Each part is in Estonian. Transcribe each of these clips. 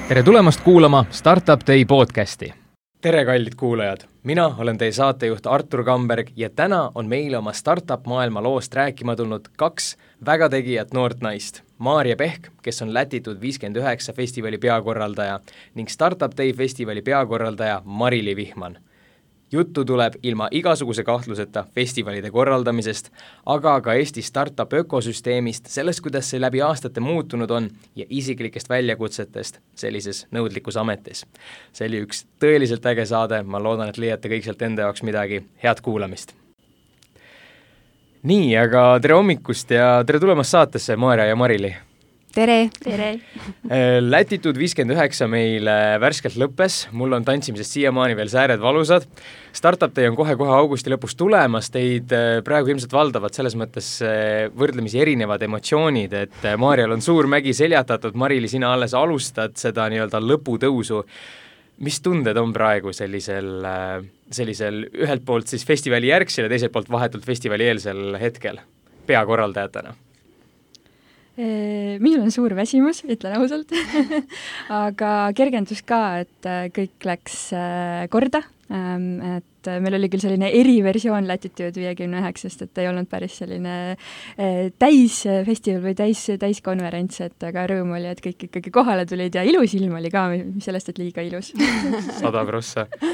Tere tulemast kuulama Startup Day podcasti. Tere kallid kuulajad, mina olen teie saatejuht Artur Kamberg ja täna on meile oma startup maailma loost rääkima tulnud kaks väga tegijat noort naist. Maarja Pehk, kes on Latitude 59 festivali peakorraldaja ning Startup Day festivali peakorraldaja Mari-Li Vihman. Juttu tuleb ilma igasuguse kahtluseta festivalide korraldamisest, aga ka Eesti startup ökosüsteemist, sellest, kuidas see läbi aastate muutunud on ja isiklikest väljakutsetest sellises nõudlikus ametis. See oli üks tõeliselt äge saade, ma loodan, et leiate kõik sealt enda jaoks midagi. Head kuulamist! Nii, aga tere hommikust ja tere tulemast saatesse, Maarja ja Mari-Li! Tere! Tere! Latitude 59 meil värskelt lõppes, mul on tantsimisest siiamaani veel sääred valusad. Startup Day on kohe augusti lõpus tulemas, teid praegu ilmselt valdavad selles mõttes võrdlemisi erinevad emotsioonid, et Maarjal on suur mägi seljatatud, Mari-Li, sina alles alustad seda nii-öelda lõputõusu. Mis tunded on praegu sellisel ühelt poolt siis festivali järgsel ja teiselt poolt vahetult festivali eelsel hetkel peakorraldajatena? Minul on suur väsimus, ütlen ausalt, aga kergendus ka, et kõik läks korda, et meil oli küll selline eriversioon Latitude 59, et ei olnud päris selline täisfestival või täiskonverents, et aga rõõm oli, et kõik ikkagi kohale tulid ja ilus ilm oli ka, mis sellest, et liiga ilus. 100%.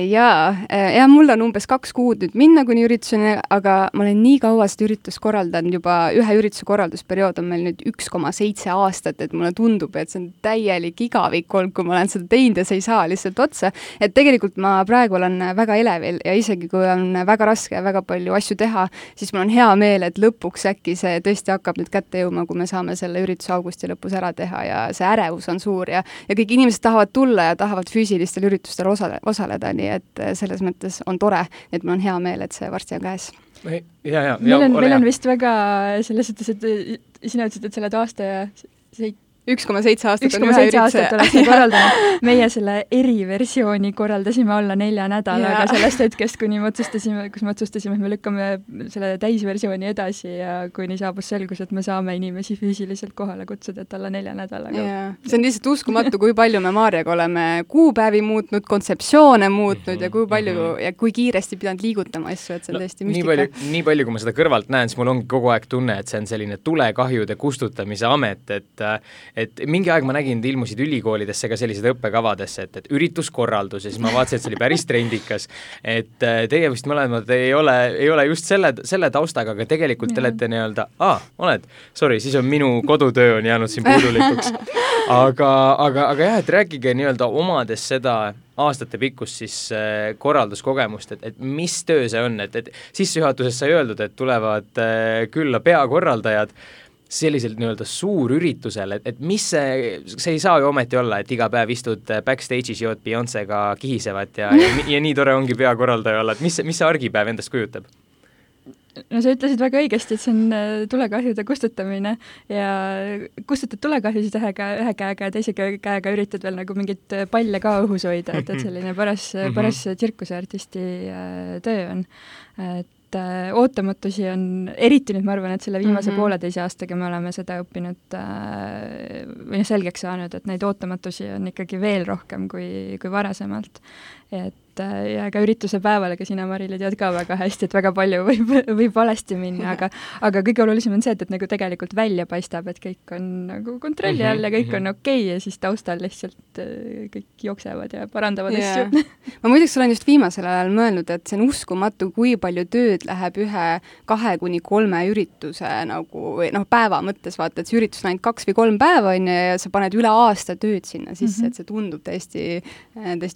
Ja mul on umbes 2 kuud nüüd minna kuni ürituseni, aga ma olen nii kaua seda üritust korraldanud, juba ühe ürituse korraldusperiood on meil nüüd 1,7 aastat, et mulle tundub, et see on täielik igavik olnud, kui ma olen seda teinud ja see ei saa lihtsalt otsa. Et tegelikult ma praegu olen väga elevil ja isegi kui on väga raske ja väga palju asju teha, siis mul on hea meel, et lõpuks äkki see tõesti hakkab nüüd kätte jõuma, kui me saame selle ürituse augusti lõpus ära teha ja see ärevus on suur ja kõik inimesed tahavad tulla ja tahavad füüsilistel üritustel osaleda. Nii et selles mõttes on tore, et mul on hea meel, et see varsti on käes. Meil on vist väga selles suhtes, et sina ütlesid, et sa oled aasta ja 1,7 aastat on ühe ürituse korraldanud. Meie selle eriversiooni korraldasime alla 4 nädalaga sellest hetkest, kus me otsustasime, et me lükkame selle täisversiooni edasi ja kuni saabus selgus, et me saame inimesi füüsiliselt kohale kutsuda, et alla 4 nädalaga. See on lihtsalt uskumatu, kui palju me Maarjaga oleme kuupäevi muutnud, kontseptsioone muutnud ja kui palju ja kui kiiresti pidanud liigutama asju, et see on tõesti müstika. Nii palju, kui ma seda kõrvalt näen, siis mul ongi kogu aeg tunne, et see on selline tulekahjude kustutamise amet, et mingi aeg ma nägin, et ilmusid ülikoolidesse ka sellised õppekavadesse, et ürituskorraldus ja siis ma vaatasin, et see oli päris trendikas. Et teie vist mõlemad ei ole just selle taustaga, aga tegelikult te olete nii-öelda, siis on minu kodutöö on jäänud siin puudulikuks. Aga jah, et rääkige nii-öelda omades seda aastate pikkust siis korralduskogemust, et mis töö see on, et sissejuhatuses sai öeldud, et tulevad külla peakorraldajad selliselt nii-öelda suur üritusel, et mis see ei saa ju ometi olla, et iga päev istud backstage'is jood Beyoncé'ga kihisevad ja nii tore ongi peakorraldaja olla, et mis see argipäev endast kujutab? No sa ütlesid väga õigesti, et see on tulekahjude kustutamine ja kustutad tulekahjusid ühe käega ja teise käega üritad veel nagu mingit palle ka õhus hoida, et selline paras tsirkuseartisti töö on. Et ootamatusi on, eriti nüüd ma arvan, et selle viimase pooleteise aastaga me oleme seda õppinud või selgeks saanud, et neid ootamatusi on ikkagi veel rohkem kui varasemalt. Ja ka ürituse päeval, aga sina, Mari-Li, tead ka väga hästi, et väga palju võib valesti minna, aga kõige olulisem on see, et nagu tegelikult välja paistab, et kõik on nagu kontrolli all ja kõik on okei ja siis taustal lihtsalt kõik jooksevad ja parandavad asju. Ma muideks olen just viimasel ajal mõelnud, et see on uskumatu, kui palju tööd läheb 2 kuni 3 ürituse nagu, päeva mõttes vaata, et see üritus on ainult 2 või 3 päeva ja sa paned üle aasta tööd sinna sisse, et see tundub täiesti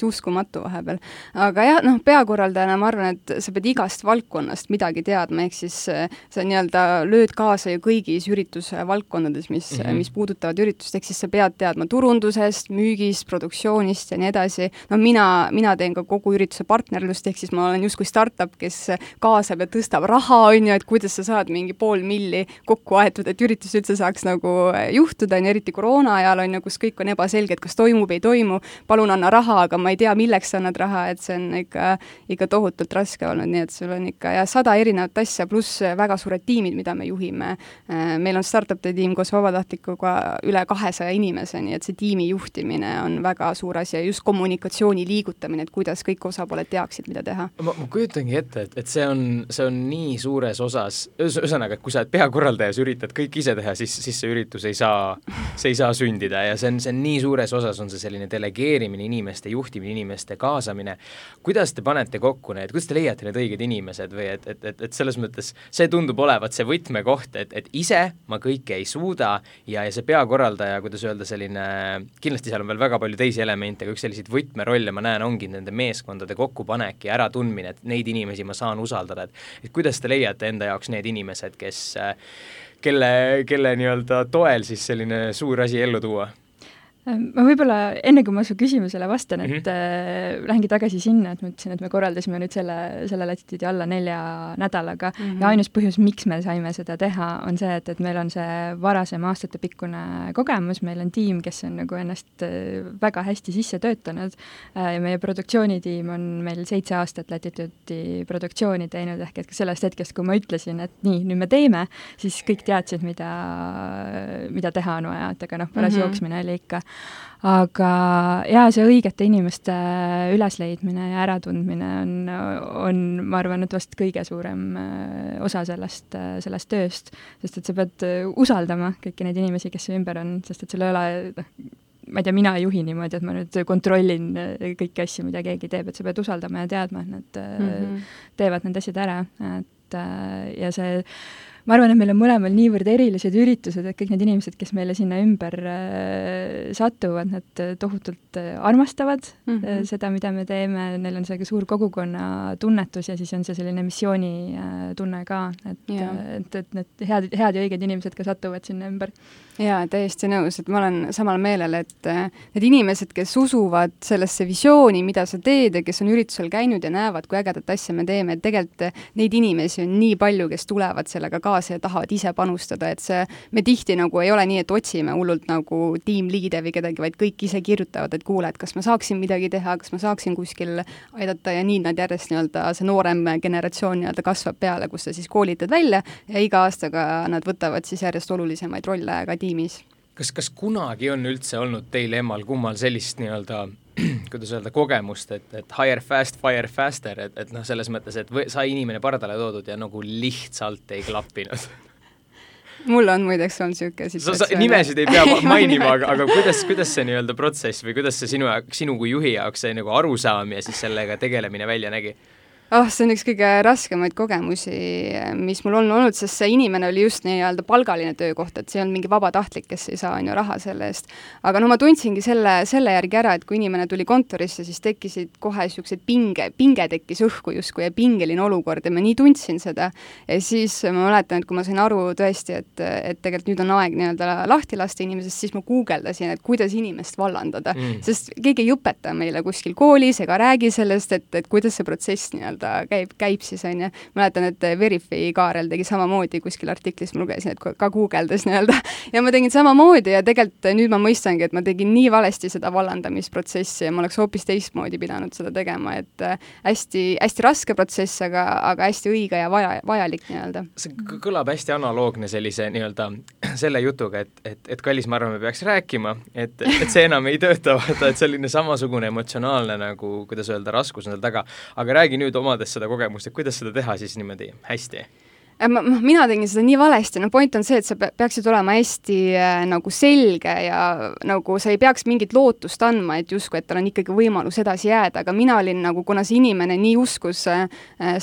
uskumatu vahepeal. Aga jah, peakorraldajana ma arvan, et sa pead igast valdkonnast midagi teadma, ehk siis sa nii-öelda lööd kaasa ju kõigis ürituse valdkonnades, mis puudutavad üritust, ehk siis sa pead teadma turundusest, müügist, produktsioonist ja nii edasi. Mina teen ka kogu ürituse partnerlust, ehk siis ma olen justkui startup, kes kaasab ja tõstab raha, et kuidas sa saad mingi 500 000 kokku aetud, et üritus üldse saaks nagu juhtuda, eriti koroona ajal kus kõik on ebaselge, et kas toimub, ei toimu, palun anna raha, aga ma ei tea, milleks sa annad raha, et see on ikka tohutult raske olnud, nii et sul on ikka 100 erinevat asja, pluss väga suured tiimid, mida me juhime. Meil on startup'i tiim koos vabatahtlikuga üle 200 inimese, nii et see tiimi juhtimine on väga suur asi ja just kommunikatsiooni liigutamine, et kuidas kõik osapooled teaksid, mida teha. Ma kujutangi ette, et see on nii suures osas, ühesõnaga, et kui sa peakorraldajas üritad kõik ise teha, siis see üritus ei saa sündida ja see on nii suures osas on see selline delegeerimine, inimeste juhtimine, inimeste kaasamine. Kuidas te panete kokku need, kuidas te leiate need õiged inimesed või et selles mõttes see tundub olevat see võtmekoht, et ise ma kõike ei suuda ja see peakorraldaja, kuidas öelda, selline, kindlasti seal on veel väga palju teisi elemente, aga üks selliseid võtmerolle ma näen ongi nende meeskondade kokkupanek ja äratundmine, et neid inimesi ma saan usaldada, et kuidas te leiate enda jaoks need inimesed, kelle nii-öelda toel siis selline suur asi ellu tuua? Ma võib-olla enne, kui ma su küsimusele vastan, et lähengi tagasi sinna, et ma ütlesin, et me korraldasime nüüd selle latituudi alla 4 nädalaga ja ainus põhjus, miks me saime seda teha, on see, et meil on see varasem aastatepikkune kogemus, meil on tiim, kes on nagu ennast väga hästi sisse töötanud ja meie produktsioonitiim on meil 7 aastat latituudi produktsiooni teinud, ehk et sellest hetkest, kui ma ütlesin, et nii, nüüd me teeme, siis kõik teadsid, mida teha on vaja, et aga paras jooksmine oli ikka. Aga see õigete inimeste ülesleidmine ja äratundmine on, ma arvan, et vast kõige suurem osa sellest tööst, sest et sa pead usaldama kõiki neid inimesi, kes su ümber on, sest et sul ei ole, ma ei tea, mina ei juhi niimoodi, et ma nüüd kontrollin kõiki asju, mida keegi teeb, et sa pead usaldama ja teadma, et nad teevad need asjad ära, ja see ma arvan, et meil on mõlemal niivõrd erilised üritused, et kõik need inimesed, kes meile sinna ümber satuvad, nad tohutult armastavad seda, mida me teeme, neil on see suur kogukonna tunnetus ja siis on see selline missioonitunne ka, et need head ja õiged inimesed ka satuvad sinna ümber. Jaa, täiesti nõus, et ma olen samal meelel, et need inimesed, kes usuvad sellesse visiooni, mida sa teed ja kes on üritusel käinud ja näevad, kui ägedat asja me teeme, et tegelikult neid inimesi on nii palju, kes tulevad sellega kaasa ja tahavad ise panustada, et me tihti nagu ei ole nii, et otsime hullult nagu tiimliide või kedagi, vaid kõik ise kirjutavad, et kuule, et kas ma saaksin midagi teha, kas ma saaksin kuskil aidata ja nii nad järjest nii-öelda see noorem generatsioon nii-öelda kasvab peale, kus sa siis koolitad välja ja iga aastaga nad võtavad siis järjest olulisemaid rolle ka tiimis. Kas kunagi on üldse olnud teil emmal kummal sellist nii-öelda, kuidas öelda, kogemust, et hire fast, fire faster, et selles mõttes, et sai inimene pardale toodud ja nagu lihtsalt ei klappinud? Mul on muideks on niisugune situatsioon. Nimesid ei pea mainima, aga kuidas see nii-öelda protsess või kuidas see sinu kui juhi jaoks see nagu arusaam ja siis sellega tegelemine välja nägi? See on üks kõige raskemaid kogemusi, mis mul on olnud, sest see inimene oli just nii-öelda palgaline töökoht, et see on mingi vabatahtlik, kes ei saa raha selle eest. Aga ma tundsingi selle järgi ära, et kui inimene tuli kontorisse, siis tekkisid kohe niisugused pinge tekkis õhku justkui ja pingeline olukord ja ma nii tundsin seda. Ja siis ma mäletan, et kui ma sain aru tõesti, et tegelikult nüüd on aeg nii-öelda lahti lasta inimesest, siis ma guugeldasin, et kuidas inimest vallandada. Sest keegi ei õpeta meile kuskil koolis ega räägi sellest, et kuidas see protsess nii-öelda käib siis, on ju. Mäletan, et Verify Kaarel tegi samamoodi kuskil artiklis, ma lugesin, et ka guugeldas nii-öelda. Ja ma tegin samamoodi ja tegelikult nüüd ma mõistangi, et ma tegin nii valesti seda vallandamisprotsessi ja ma oleks hoopis teistmoodi pidanud seda tegema, et hästi, hästi raske protsess, aga hästi õige ja vajalik nii-öelda. See kõlab hästi analoogne sellise nii-öelda selle jutuga, et kallis, ma arvan, me peaks rääkima, et see enam ei tööta, et selline samasugune emotsionaalne nagu, kuidas öelda, raskus on seal taga. Aga räägi nüüd omades seda kogemust, et kuidas seda teha siis niimoodi hästi? Mina tegin seda nii valesti, point on see, et sa peaksid olema hästi nagu selge ja nagu sa ei peaks mingit lootust andma, et justkui, et tal on ikkagi võimalus edasi jääda, aga mina olin nagu, kuna see inimene nii uskus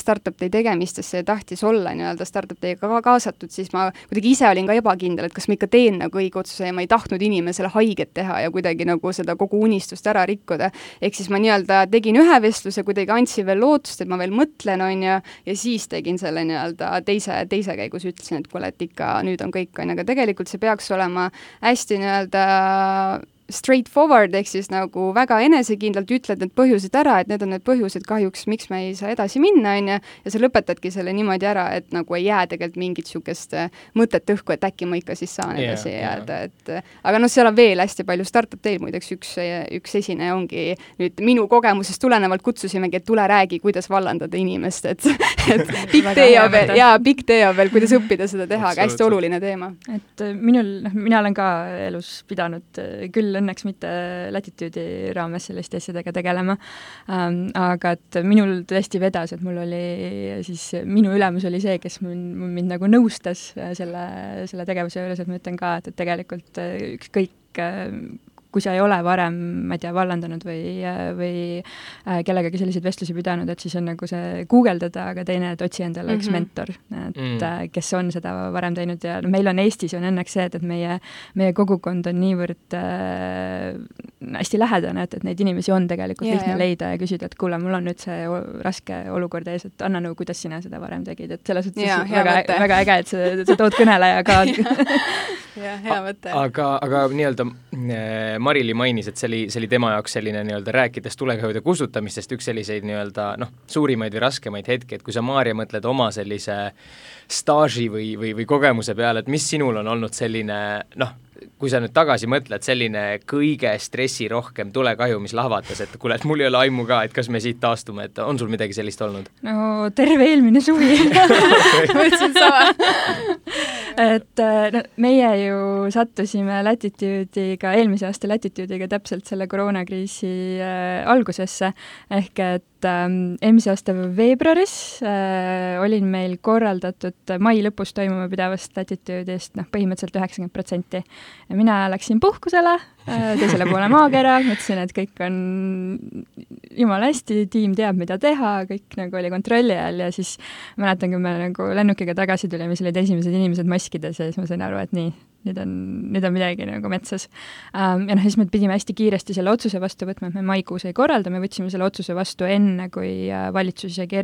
startup-tei tegemistesse ja tahtis olla nii-öelda startup-teiga kaasatud, siis ma kuidagi ise olin ka ebakindel, et kas ma ikka teen nagu õige otsuse ja ma ei tahtnud inimesele haiget teha ja kuidagi nagu seda kogu unistust ära rikkuda. Ehk siis ma nii-öelda tegin ühe vestluse, kuidagi andsin veel lootust, et ma veel mõtlen, on ja siis tegin selle nii-öelda teise käigus ütlesin, et kuule, et ikka nüüd on kõik, aga tegelikult see peaks olema hästi nii-öelda straightforward, ehk siis nagu väga enesekindlalt ütled need põhjused ära, et need on need põhjused kahjuks, miks me ei saa edasi minna, on ju, ja sa lõpetadki selle niimoodi ära, et nagu ei jää tegelikult mingit niisugust mõtet õhku, et äkki ma ikka siis saan edasi jääda, et aga noh, seal on veel hästi palju startup teil, muideks üks esineja ongi nüüd minu kogemusest tulenevalt kutsusimegi, et tule räägi, kuidas vallandada inimest, et pikk tee on veel, kuidas õppida seda teha, aga hästi oluline teema. Et mina olen ka elus pidanud küll õnneks mitte Latitude'i raames selliste asjadega tegelema, aga et minul tõesti vedas, et mul oli siis, minu ülemus oli see, kes mind nagu nõustas selle tegevuse juures, et ma ütlen ka, et tegelikult ükskõik kui sa ei ole varem, ma ei tea, vallandanud või kellegagi selliseid vestlusi pidanud, et siis on nagu see guugeldada, aga teine, et otsi endale üks mentor, et kes on seda varem teinud ja meil on Eestis on õnneks see, et meie kogukond on niivõrd hästi lähedane, et neid inimesi on tegelikult lihtne leida ja küsida, et kuule, mul on nüüd see raske olukord ees, et anna nõu, kuidas sina seda varem tegid, et selles suhtes väga äge, et sa tood kõneleja ka. hea mõte. Aga nii-öelda Marili mainis, et see oli tema jaoks selline nii-öelda rääkides tulekahjude kustutamistest üks selliseid nii-öelda suurimaid või raskemaid hetki, et kui sa, Maarja, mõtled oma sellise staaži või kogemuse peale, et mis sinul on olnud selline, kui sa nüüd tagasi mõtled, selline kõige stressirohkem tulekahju, mis lahvatas, et kuule, et mul ei ole aimu ka, et kas me siit taastume, et on sul midagi sellist olnud? No terve eelmine suvi. Mõtlesin sama. Et meie ju sattusime Latitude'iga, eelmise aasta Latitude'iga täpselt selle koroonakriisi algusesse, ehk et eelmise aasta veebruaris olin meil korraldatud mai lõpus toimuma pidevast Latitude'ist põhimõtteliselt 90%. Ja mina läksin puhkusele teisele poole maakera, mõtlesin, et kõik on jumala hästi, tiim teab, mida teha, kõik nagu oli kontrolli all ja siis mäletan, kui me nagu lennukiga tagasi tulime, siis olid esimesed inimesed maskides ja siis ma sain aru, et nii, nüüd on midagi nagu metsas. Ja siis me pidime hästi kiiresti selle otsuse vastu võtma, et me maikuus ei korralda, me võtsime selle otsuse vastu enne, kui valitsus isegi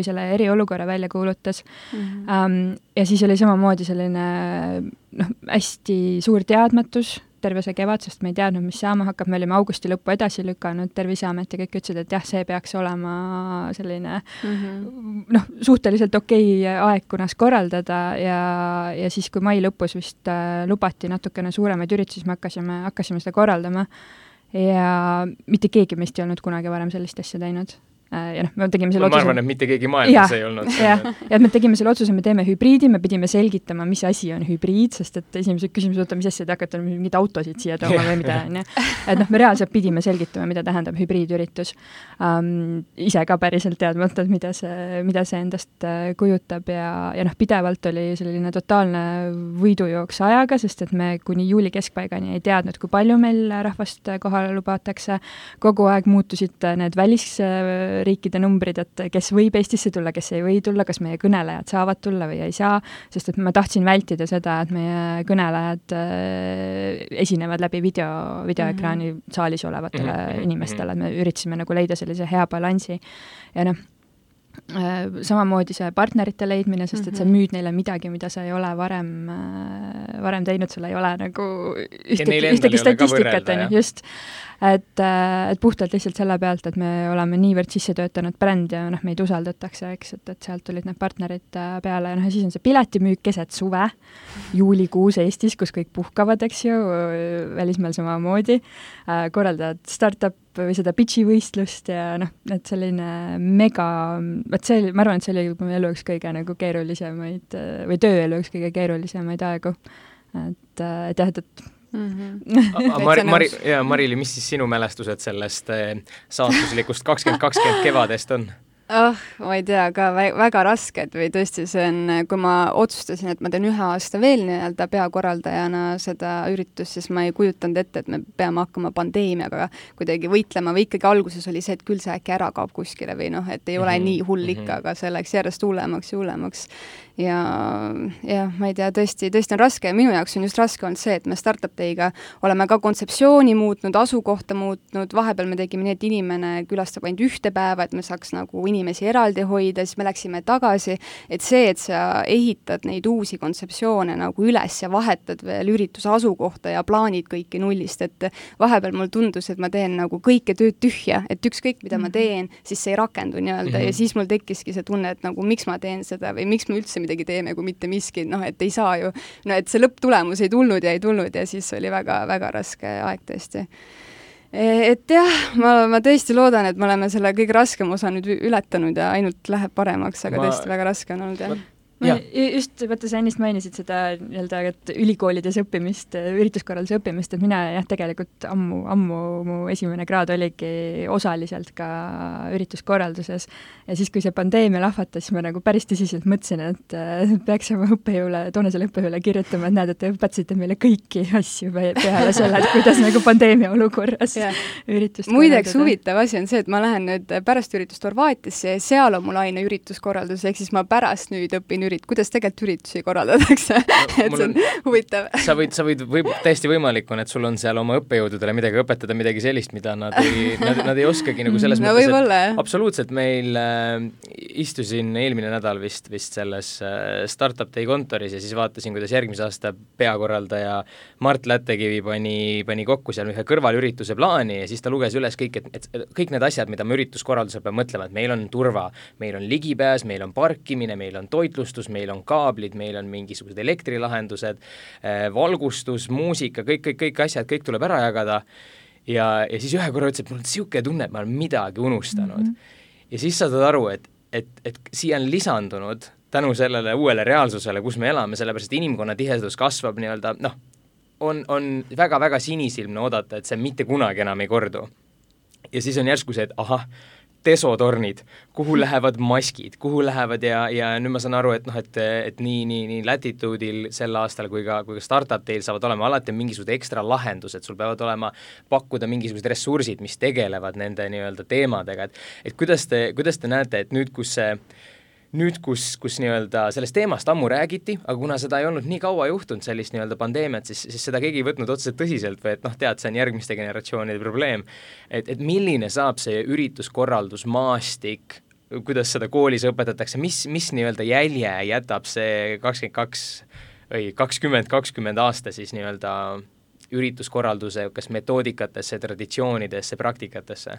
selle eriolukorra välja kuulutas. Ja siis oli samamoodi selline hästi suur teadmatus terve see kevad, sest me ei teadnud, mis saama hakkab, me olime augusti lõppu edasi lükanud, Terviseamet ja kõik ütlesid, et jah, see peaks olema selline suhteliselt okei aeg, kunas korraldada ja siis, kui mai lõpus vist lubati natukene suuremaid üritusi, me hakkasime seda korraldama ja mitte keegi meist ei olnud kunagi varem sellist asja teinud. Ja me tegime selle otsuse. Ma arvan, et mitte keegi maailmas ei olnud. Ja me tegime selle otsuse, me teeme hübriidi, me pidime selgitama, mis asi on hübriid, sest et esimesed küsimused, mis asja te hakkate mingid autosid siia tooma või mida on. Et me reaalselt pidime selgitama, mida tähendab hübriidüritus. Ise ka päriselt teadmata, mida see endast kujutab ja pidevalt oli selline totaalne võidujooks ajaga, sest et me kuni juuli keskpaigani ei teadnud, kui palju meil rahvast kohale lubatakse. Kogu aeg muutusid need riikide numbrid, et kes võib Eestisse tulla, kes ei või tulla, kas meie kõnelejad saavad tulla või ei saa, sest et ma tahtsin vältida seda, et meie kõnelejad esinevad läbi videoekraani saalis olevatele inimestele, et me üritasime nagu leida sellise hea balansi ja samamoodi see partnerite leidmine, sest et sa müüd neile midagi, mida sa ei ole varem teinud, sul ei ole nagu ühtegi statistikat, just. Et puhtalt lihtsalt selle pealt, et me oleme niivõrd sisse töötanud bränd ja meid usaldatakse, eks, et sealt tulid need partnerid peale ja siis on see piletimüük keset suve, juulikuus Eestis, kus kõik puhkavad, eks ju, välismaal samamoodi, korraldavad startup või seda pitchi-võistlust ja et selline mega, ma arvan, et see oli mu elu üks kõige nagu keerulisemaid või tööelu üks kõige keerulisemaid aegu, et jah, et Marili, mis siis sinu mälestused sellest saatuslikust 2020 kevadest on? Ma ei tea, ka väga rasked või tõesti see on, kui ma otsustasin, et ma teen 1 aasta veel nii-öelda peakorraldajana seda üritust, siis ma ei kujutanud ette, et me peame hakkama pandeemiaga kuidagi võitlema või ikkagi alguses oli see, et küll see äkki ära kaob kuskile või et ei ole nii hull ikka, aga see läks järjest hullemaks ja hullemaks. ma ei tea, tõesti on raske ja minu jaoks on just raske olnud see, et me Startup Day'ga oleme ka kontseptsiooni muutnud, asukohta muutnud, vahepeal me tegime nii, et inimene külastab ainult ühte päeva, et me saaks nagu inimesi eraldi hoida, siis me läksime tagasi, et see, et sa ehitad neid uusi kontseptsioone nagu üles ja vahetad veel ürituse asukohta ja plaanid kõiki nullist, et vahepeal mul tundus, et ma teen nagu kõike tööd tühja, et ükskõik, mida ma teen, siis see ei rakendu nii-öelda ja siis mul tekkiski see tunne, et nagu miks ma teen seda või miks me üldse midagi teeme, kui mitte miski, et ei saa ju, et see lõpptulemus ei tulnud ja siis oli väga raske aeg tõesti. Et jah, ma tõesti loodan, et me oleme selle kõige raskem osa nüüd ületanud ja ainult läheb paremaks, aga tõesti väga raske on olnud, jah. Just, vaata, sa ennist mainisid seda nii-öelda, et ülikoolides õppimist, ürituskorralduse õppimist, et mina jah, tegelikult ammu mu esimene kraad oligi osaliselt ka ürituskorralduses ja siis, kui see pandeemia lahvatas, siis ma nagu päris tõsiselt mõtlesin, et peaks oma toonasele õppejõule kirjutama, et näed, et te õpetasite meile kõiki asju peale selle, et kuidas nagu pandeemia olukorras üritust muideks huvitav asi on see, et ma lähen nüüd pärast üritust Horvaatiasse ja seal on mul aine ürituskorraldus, ehk siis ma pärast nüüd õpin kuidas tegelikult üritusi korraldatakse, et see on huvitav. Sa võid täiesti võimalik on, et sul on seal oma õppejõududele midagi õpetada, midagi sellist, mida nad ei oskagi nagu selles mõttes, et absoluutselt meil istusin eelmine nädal vist selles Startup Day kontoris ja siis vaatasin, kuidas järgmise aasta peakorraldaja Mart Lättekivi pani kokku seal ühe kõrvalürituse plaani ja siis ta luges üles kõik need asjad, mida me ürituskorraldusel peame mõtlema, et meil on turva, meil on ligipääs, meil on parkimine, meil on toitlustus, meil on kaablid, meil on mingisugused elektrilahendused, valgustus, muusika, kõik asjad, kõik tuleb ära jagada ja siis ühe korra ütles, et mul on niisugune tunne, et ma olen midagi unustanud. Ja siis saad aru, et siia on lisandunud tänu sellele uuele reaalsusele, kus me elame, sellepärast inimkonna tihedus kasvab nii-öelda, on väga-väga sinisilmne oodata, et see mitte kunagi enam ei kordu. Ja siis on järsku see, et ahah, desotornid, kuhu lähevad maskid, kuhu lähevad ja nüüd ma saan aru, et nii Latitude'il sel aastal kui ka Startup Day'l saavad olema alati mingisugused ekstra lahendused, sul peavad olema pakkuda mingisugused ressursid, mis tegelevad nende nii-öelda teemadega, et kuidas te näete, et nüüd, kus nii-öelda sellest teemast ammu räägiti, aga kuna seda ei olnud nii kaua juhtunud, sellist nii-öelda pandeemiat, siis seda keegi ei võtnud otseselt tõsiselt või et tead, see on järgmiste generatsioonide probleem. Et milline saab see ürituskorraldusmaastik, kuidas seda koolis õpetatakse, mis nii-öelda jälje jätab see 2020 aasta siis nii-öelda ürituskorralduse kas metoodikatesse, traditsioonidesse, praktikatesse?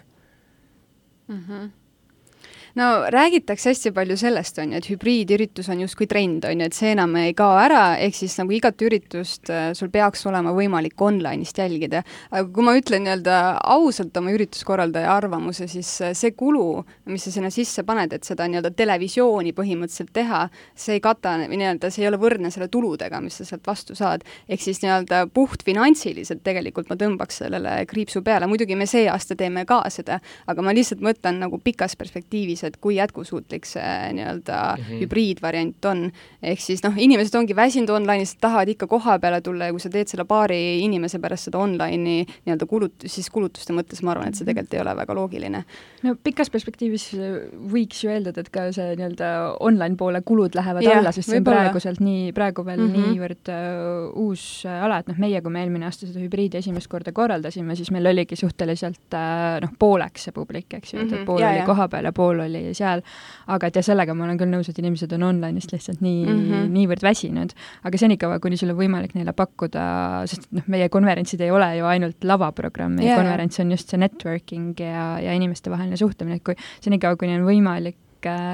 No räägitakse hästi palju sellest, et hübriidüritus on justkui trend, et see enam ei kao ära, ehk siis nagu igat üritust sul peaks olema võimalik online'ist jälgida. Aga kui ma ütlen nii-öelda ausalt oma ürituskorraldaja arvamuse, siis see kulu, mis sa sinna sisse paned, et seda nii-öelda televisiooni põhimõtteliselt teha, see ei kata, nii-öelda see ei ole võrdne selle tuludega, mis sa sealt vastu saad. Ehk siis nii-öelda puht finantsiliselt tegelikult ma tõmbaks sellele kriipsu peale. Muidugi me see aasta teeme ka seda, aga ma lihtsalt mõtlen nagu pikas perspektiivis, et kui jätkusuutlik see nii-öelda hübriidvariant on. Ehk siis inimesed ongi väsinud online'ist, tahavad ikka koha peale tulla ja kui sa teed selle paari inimese pärast seda online'i nii-öelda kulutuste mõttes, ma arvan, et see tegelikult ei ole väga loogiline. No pikas perspektiivis võiks ju eeldada, et ka see nii-öelda online poole kulud lähevad alla, sest see on praegu veel niivõrd uus ala, et meie, kui me eelmine aasta seda hübriidi esimest korda korraldasime, siis meil oligi suhteliselt pooleks see publik, eks ju, et pool oli koha peal ja pool oli seal, aga et ja sellega ma olen küll nõus, et inimesed on online'ist lihtsalt niivõrd väsinud, aga senikaua, kuni sul on võimalik neile pakkuda, sest meie konverentsid ei ole ju ainult lavaprogramm, meie konverents on just see networking ja inimeste vaheline suhtlemine, et kui senikaua, kuni on võimalik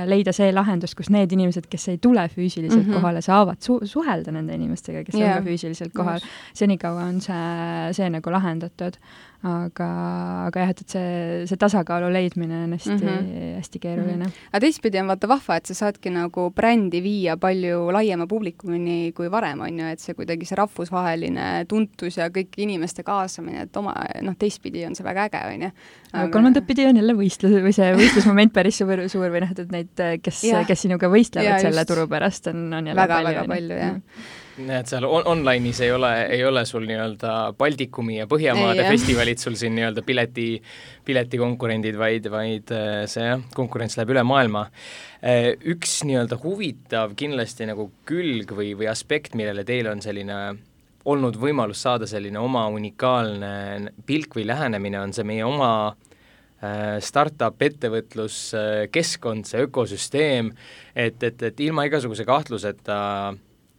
leida see lahendus, kus need inimesed, kes ei tule füüsiliselt kohale, saavad suhelda nende inimestega, kes on ka füüsiliselt kohal. Senikaua on see nagu lahendatud. Aga jah, et see tasakaalu leidmine on hästi keeruline. Aga teistpidi on vaata vahva, et sa saadki nagu brändi viia palju laiema publikumini kui varem on ju, et see kuidagi see rahvusvaheline tuntus ja kõik inimeste kaasamine, et teistpidi on see väga äge on ju. Kolmandat pidi on jälle võistlusmoment päris suur või et neid, kes sinuga võistlevad selle turu pärast on jälle väga palju, jah. näed, seal online'is ei ole sul nii-öelda Baltikumi ja Põhjamaade festivalid sul siin nii-öelda piletikonkurendid, vaid see konkurents läheb üle maailma. Üks nii-öelda huvitav kindlasti nagu külg või aspekt, millele teil on selline olnud võimalus saada selline oma unikaalne pilk või lähenemine, on see meie oma startup ettevõtluskeskkond, see ökosüsteem, et ilma igasuguse kahtluseta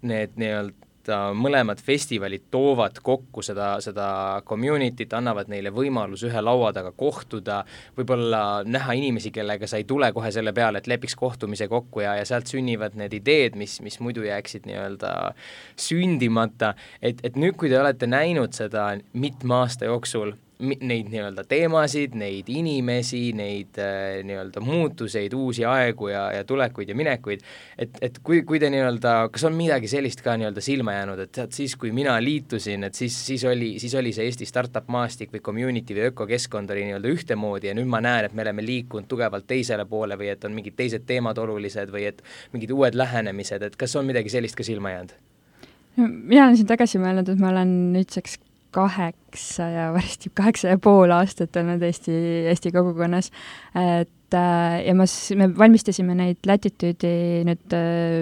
need nii-öelda mõlemad festivalid toovad kokku seda community't, annavad neile võimalus ühe laua taga kohtuda, võib-olla näha inimesi, kellega sa ei tule kohe selle peale, et lepiks kohtumise kokku ja sealt sünnivad need ideed, mis muidu jääksid nii-öelda sündimata, et nüüd, kui te olete näinud seda mitme aasta jooksul, neid nii-öelda teemasid, neid inimesi, neid nii-öelda muutuseid, uusi aegu ja tulekuid ja minekuid, et kui te nii-öelda, kas on midagi sellist ka nii-öelda silma jäänud, et siis, kui mina liitusin, et siis oli see Eesti startup maastik või community või ökokeskkond oli nii-öelda ühtemoodi ja nüüd ma näen, et me oleme liikunud tugevalt teisele poole või et on mingid teised teemad olulised või et mingid uued lähenemised, et kas on midagi sellist ka silma jäänud? Mina olen siin tagasi mõelnud, et ma olen nüüdseks 8,5 aastat olnud Eesti kogukonnas, et ja me valmistasime neid Latitude'i nüüd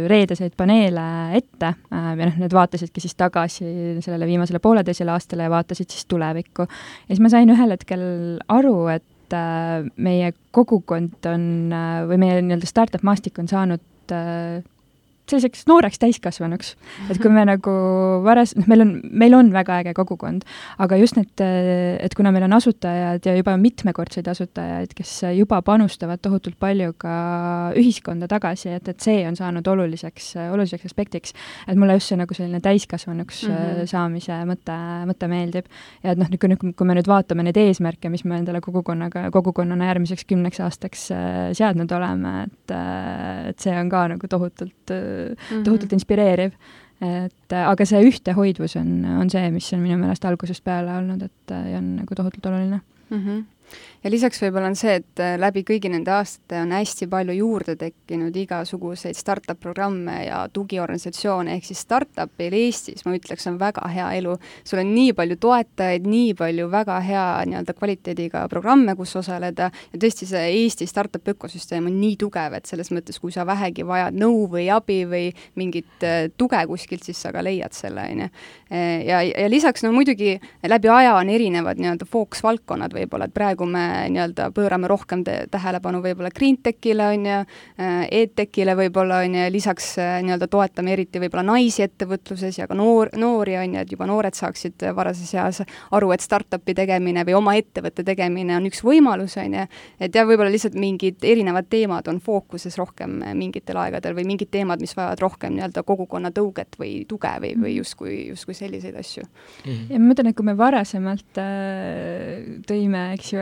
reedeseid paneele ette ja need vaatasidki siis tagasi sellele viimasele pooleteisele aastale ja vaatasid siis tulevikku. Ja siis ma sain ühel hetkel aru, et meie kogukond on või meie nii-öelda startup maastik on saanud selliseks nooreks täiskasvanuks, et kui me nagu meil on väga äge kogukond, aga just need, et kuna meil on asutajad ja juba mitmekordseid asutajaid, kes juba panustavad tohutult palju ka ühiskonda tagasi, et see on saanud oluliseks aspektiks, et mulle just see nagu selline täiskasvanuks saamise mõte meeldib. Ja et kui me nüüd vaatame neid eesmärke, mis me endale kogukonnana järgmiseks 10 aastaks seadnud oleme, et see on ka nagu tohutult inspireeriv. Aga see ühtehoidvus on see, mis on minu meelest algusest peale olnud, et on nagu tohutult oluline. Ja lisaks võib-olla on see, et läbi kõigi nende aastate on hästi palju juurde tekkinud igasuguseid startup-programme ja tugiorganisatsioone, ehk siis startupil Eestis, ma ütleks, on väga hea elu. Sul on nii palju toetajaid, nii palju väga hea nii-öelda kvaliteediga programme, kus osaleda ja tõesti see Eesti startup ökosüsteem on nii tugev, et selles mõttes, kui sa vähegi vajad nõu või abi või mingit tuge kuskilt, siis sa ka leiad selle, on ju. Ja lisaks, muidugi läbi aja on erinevad nii-öelda fookusvaldkonnad võib-olla, et praegu me nii-öelda pöörame rohkem tähelepanu võib-olla GreenTechile, on ju, EdTechile võib-olla, on ju, lisaks nii-öelda toetame eriti võib-olla naisi ettevõtluses ja ka noori, on ju, et juba noored saaksid varases eas aru, et startupi tegemine või oma ettevõtte tegemine on üks võimalus, on ju, et ja võib-olla lihtsalt mingid erinevad teemad on fookuses rohkem mingitel aegadel või mingid teemad, mis vajavad rohkem nii-öelda kogukonna tõuget või tuge või justkui selliseid asju. Ja ma mõtlen, et kui me varasemalt tõime, eks ju,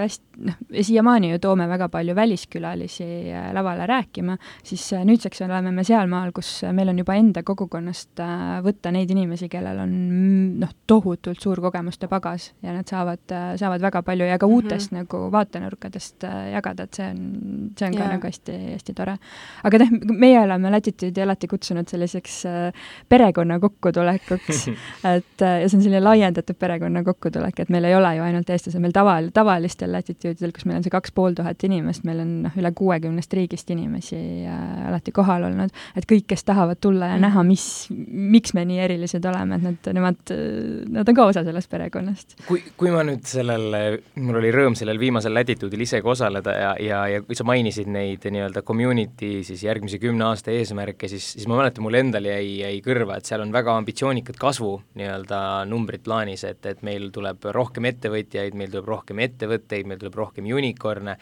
siiamaani ju toome väga palju väliskülalisi lavale rääkima, siis nüüdseks oleme me sealmaal, kus meil on juba enda kogukonnast võtta neid inimesi, kellel on tohutult suur kogemuste pagas ja nad saavad väga palju ja ka uutest nagu vaatenurkadest jagada, et see on ka nagu hästi, hästi tore. Aga meie oleme Latitude'i alati kutsunud selliseks perekonna kokkutulekuks, et ja see on selline laiendatud perekonna kokkutulek, et meil ei ole ju ainult eestlased, meil tavalistel Latitude'idel, kus meil on see 2500 inimest, meil on üle 60 riigist inimesi alati kohal olnud, et kõik, kes tahavad tulla ja näha, miks me nii erilised oleme, et nad on ka osa sellest perekonnast. Kui ma nüüd mul oli rõõm sellel viimasel Latitude'il isegi osaleda ja kui sa mainisid neid nii-öelda community siis järgmise 10 aasta eesmärke, siis ma mäletan, mul endal jäi kõrva, et seal on väga ambitsioonikad kasvu nii-öelda numbrid plaanis, et meil tuleb rohkem ettevõtjaid, meil tuleb rohkem ettevõtteid, meil tuleb rohkem unicorne.